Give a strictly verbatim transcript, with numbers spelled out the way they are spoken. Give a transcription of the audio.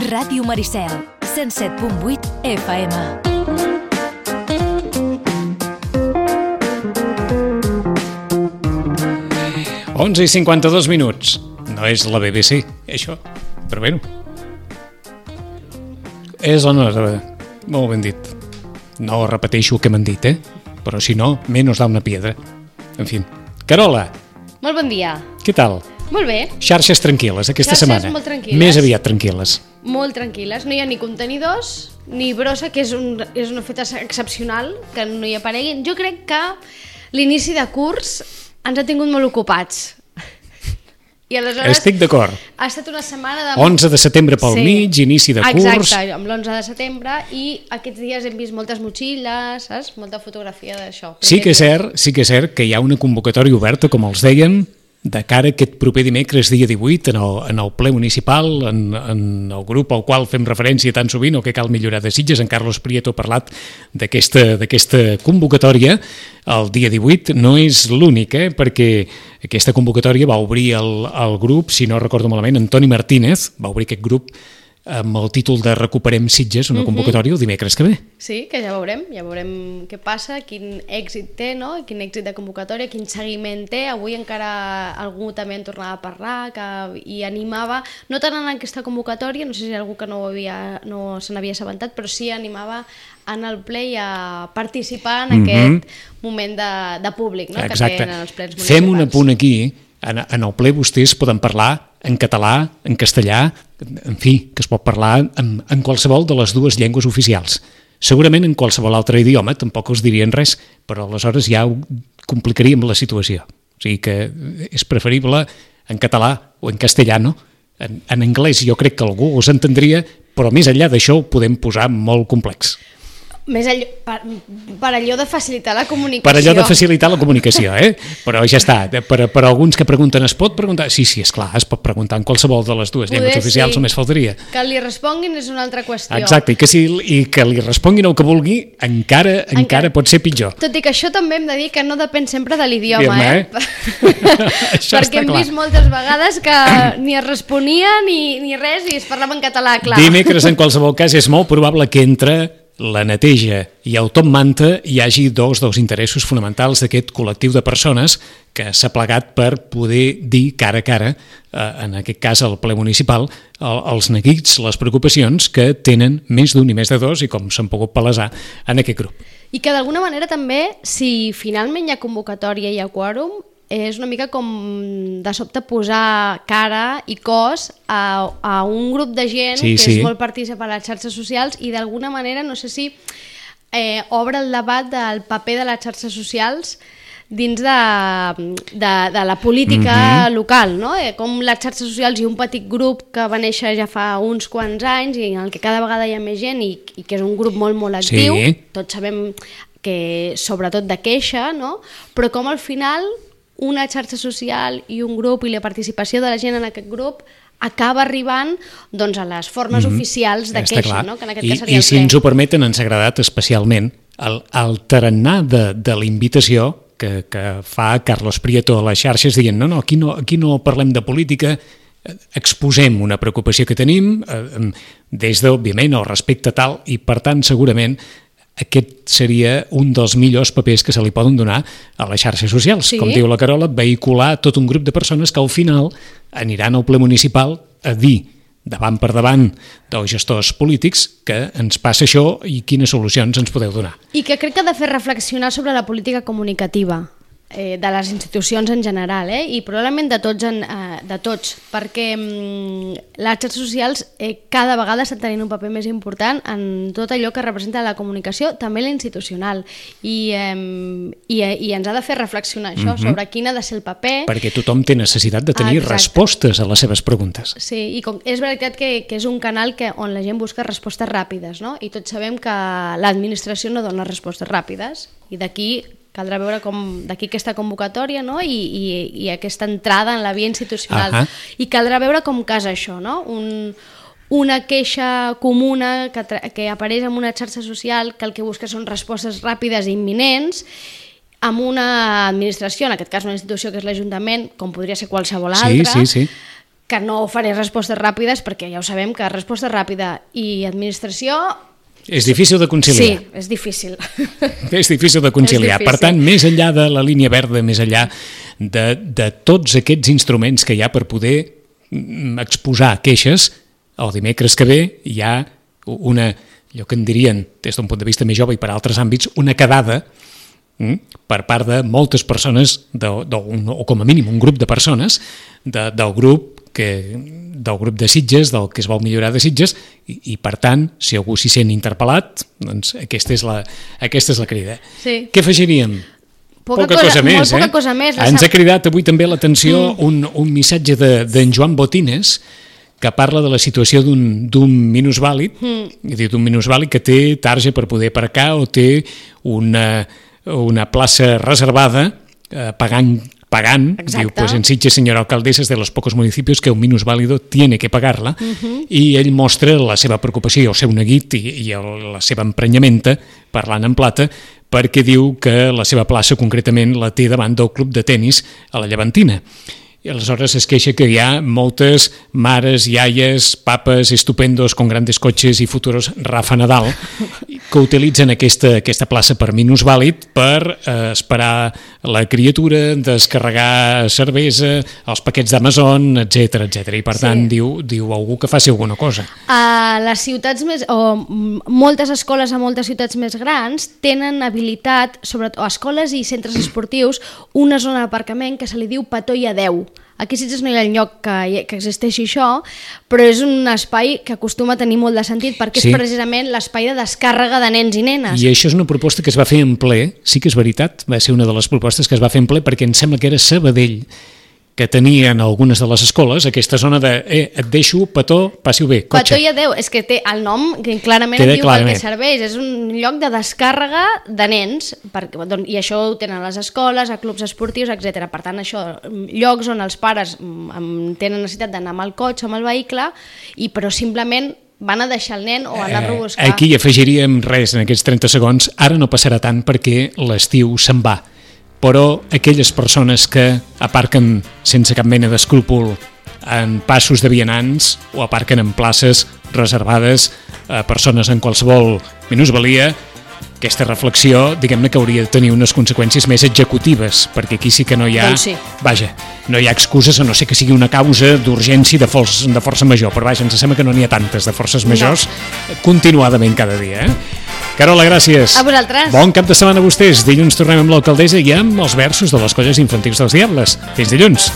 Ràdio Maricel, cent set punt vuit F M. onze i cinquanta-dos minuts. No és la B B C, això, però bé. És o no? Molt ben dit. No repeteixo el que m'han dit, eh? Però si no, menos da una piedra. En fi. Carola. Molt bon dia. Què tal? Molt bé. Xarxes tranquil·les aquesta Xarxes setmana. molt tranquil·les. Més aviat tranquil·les. Molt tranquil·les. No hi ha ni contenidors, ni brossa, que és un, és un fet excepcional, que no hi apareguin. Jo crec que l'inici de curs ens ha tingut molt ocupats. I aleshores estic d'acord. Ha estat una setmana de... onze de setembre pel sí. mig, inici de curs. Exacte, amb l'onze de setembre, i aquests dies hem vist moltes motxilles, saps? Molta fotografia d'això. Sí que és cert, sí que és cert que hi ha una convocatòria oberta, com els dèiem, de cara a aquest proper dimecres, dia divuit, en el, en el ple municipal, en, en el grup al qual fem referència tan sovint, o que cal millorar de Sitges. En Carlos Prieto ha parlat d'aquesta d'aquesta convocatòria. El dia divuit no és l'únic, eh? Perquè aquesta convocatòria va obrir el, el grup, si no recordo malament, Antoni Martínez, va obrir aquest grup amb el títol de Recuperem Sitges, una convocatòria el dimecres que ve. Sí, que ja veurem, ja veurem què passa, quin èxit té, no? Quin èxit de convocatòria, quin seguiment té. Avui encara algú també en tornava a parlar que, i animava, no tant en aquesta convocatòria, no sé si algú que no, havia, no se n'havia assabentat, però sí animava en el ple i a participar en mm-hmm. aquest moment de, de públic, no? Que tenen els plens municipals. Fem un apunt aquí. En, en el ple vostès poden parlar en català, en castellà, en fi, que es pot parlar en, en qualsevol de les dues llengües oficials. Segurament en qualsevol altre idioma tampoc els dirien res, però aleshores ja complicaríem la situació. O sigui que és preferible en català o en castellano. En, en anglès jo crec que algú us entendria, però més enllà d'això ho podem posar molt complex. Més allò, per, per allò de facilitar la comunicació. Per allò de facilitar la comunicació, eh? Però ja està, per, per alguns que pregunten, es pot preguntar? Sí, sí, esclar, es pot preguntar en qualsevol de les dues llengües oficials, sí. Només faltaria. Que li responguin és una altra qüestió. Exacte, i que, si, i que li responguin el que vulgui, encara, encara, encara pot ser pitjor. Tot i que això també hem de dir que no depèn sempre de l'idioma, eh? eh? Perquè hem clar. vist moltes vegades que ni es responia ni, ni res i es parlava en català, clar. Dimecres, en qualsevol cas, és molt probable que entre la neteja i el top manta hi hagi dos dels interessos fonamentals d'aquest col·lectiu de persones que s'ha plegat per poder dir cara a cara, eh, en aquest cas al ple municipal, el, els neguits, les preocupacions que tenen més d'un i més de dos i com s'han pogut palesar en aquest grup. I que d'alguna manera també, si finalment hi ha convocatòria i hi ha quòrum, és una mica com de sobte posar cara i cos a, a un grup de gent sí, que sí. és molt partícip a les xarxes socials i d'alguna manera, no sé si eh, obre el debat del paper de les xarxes socials dins de, de, de la política mm-hmm. local, no? Eh, com les xarxes socials i un petit grup que va néixer ja fa uns quants anys i en el que cada vegada hi ha més gent i, i que és un grup molt, molt actiu, sí. Tots sabem que sobretot de queixa, no? Però com al final una xarxa social i un grup i la participació de la gent en aquest grup acaba arribant doncs, a les formes mm-hmm. oficials de Està queixa, clar. No? Que en aquest I, cas seria i el si ple. ens ho permeten, ens ha agradat especialment el, el tarannà de, de la invitació que, que fa Carlos Prieto a les xarxes dient no, no, aquí no, aquí no parlem de política, exposem una preocupació que tenim eh, des d'òbviament el respecte tal i per tant segurament aquest seria un dels millors papers que se li poden donar a les xarxes socials. Sí. Com diu la Carola, vehicular tot un grup de persones que al final aniran al ple municipal a dir davant per davant dels gestors polítics que ens passa això i quines solucions ens podeu donar. I que crec que ha de fer reflexionar sobre la política comunicativa eh, de les institucions en general, eh? I probablement de tots, en, eh, de tots perquè mm, les xarxes socials eh, cada vegada estan tenint un paper més important en tot allò que representa la comunicació, també la institucional, i, eh, i, i ens ha de fer reflexionar això, mm-hmm. sobre quin ha de ser el paper. Perquè tothom té necessitat de tenir Exacte. respostes a les seves preguntes. Sí, i com, és veritat que, que és un canal que, on la gent busca respostes ràpides, no? I tots sabem que l'administració no dona respostes ràpides, i d'aquí caldrà veure com d'aquí aquesta convocatòria, no? I, i, i aquesta entrada en la via institucional. Uh-huh. I caldrà veure com casa això, no? Un, una queixa comuna que, que apareix en una xarxa social que el que busca són respostes ràpides i imminents, amb una administració, en aquest cas una institució que és l'Ajuntament, com podria ser qualsevol altra, sí, sí, sí. que no faré respostes ràpides, perquè ja ho sabem que resposta ràpida i administració... És difícil de conciliar. Sí, és difícil. És difícil de conciliar. difícil. Per tant, més enllà de la línia verda, més enllà de, de tots aquests instruments que hi ha per poder exposar queixes, el dimecres que ve hi ha una, allò que en dirien, des d'un punt de vista més jove i per altres àmbits, una quedada per part de moltes persones, de, de, o com a mínim un grup de persones, de, del grup que, del grup de Sitges, del que es vol millorar de Sitges, i, i per tant, si algú s'hi sent interpel·lat, doncs aquesta és la, aquesta és la crida. Sí. Què afegiríem? Poca, poca cosa, cosa més, molt poca eh? cosa més. Ens ha cridat avui també l'atenció mm. un, un missatge d'en de, Joan Botines, que parla de la situació d'un minusvàlid, mm. d'un minusvàlid que té tarja per poder aparcar o té una, una plaça reservada eh, pagant pagant, Exacte. Diu, pues en Sitges, senyora alcaldesa, es de los pocos municipios que un minusválido tiene que pagar-la, uh-huh. i ell mostra la seva preocupació, el seu neguit i, i el, la seva emprenyamenta, parlant en plata, perquè diu que la seva plaça concretament la té davant del club de tennis a la Llevantina. I aleshores es queixa que hi ha moltes mares, iaies, papes estupendos con grandes cotxes i futuros Rafa Nadal que utilitzen aquesta, aquesta plaça per minusvàlid per eh, esperar la criatura, descarregar cervesa, els paquets d'Amazon, etcètera, etcètera. I per sí. tant diu, diu algú que faci alguna cosa. A les ciutats més, o moltes escoles a moltes ciutats més grans tenen habilitat, sobretot escoles i centres esportius, una zona d'aparcament que se li diu petó i adeu. Aquí a Sitges no hi ha lloc que, que existeixi això, però és un espai que acostuma a tenir molt de sentit perquè sí. és precisament l'espai de descàrrega de nens i nenes. I això és una proposta que es va fer en ple, sí que és veritat, va ser una de les propostes que es va fer en ple perquè em sembla que era Sabadell, que tenien algunes de les escoles aquesta zona de, eh, et deixo, petó, passi-ho bé, cotxe. Petó i adeu, és que té el nom que clarament Queda diu clarament. el que serveix, és un lloc de descàrrega de nens, perquè, doncs, i això ho tenen a les escoles, a clubs esportius, etcètera. Per tant, això, llocs on els pares tenen necessitat d'anar amb el cotxe, amb el vehicle, i però simplement van a deixar el nen o anar-lo a buscar. Aquí afegiríem res en aquests trenta segons, ara no passarà tant perquè l'estiu se'n va, però aquelles persones que aparquen sense cap mena d'escrúpol en passos de vianants o aparquen en places reservades a persones en qualsevol minusvalia, aquesta reflexió, diguem-ne que hauria de tenir unes conseqüències més executives, perquè aquí sí que no hi ha... Doncs sí. Vaja, no hi ha excuses, a no ser que sigui una causa d'urgència de, de força major, però vaja, ens sembla que no n'hi ha tantes de forces majors no. continuadament cada dia, eh? Carola, gràcies. A vosaltres. Bon cap de setmana a vostès. Dilluns tornem amb l'alcaldessa i amb els versos de les colles infantils dels Diables. Fins dilluns.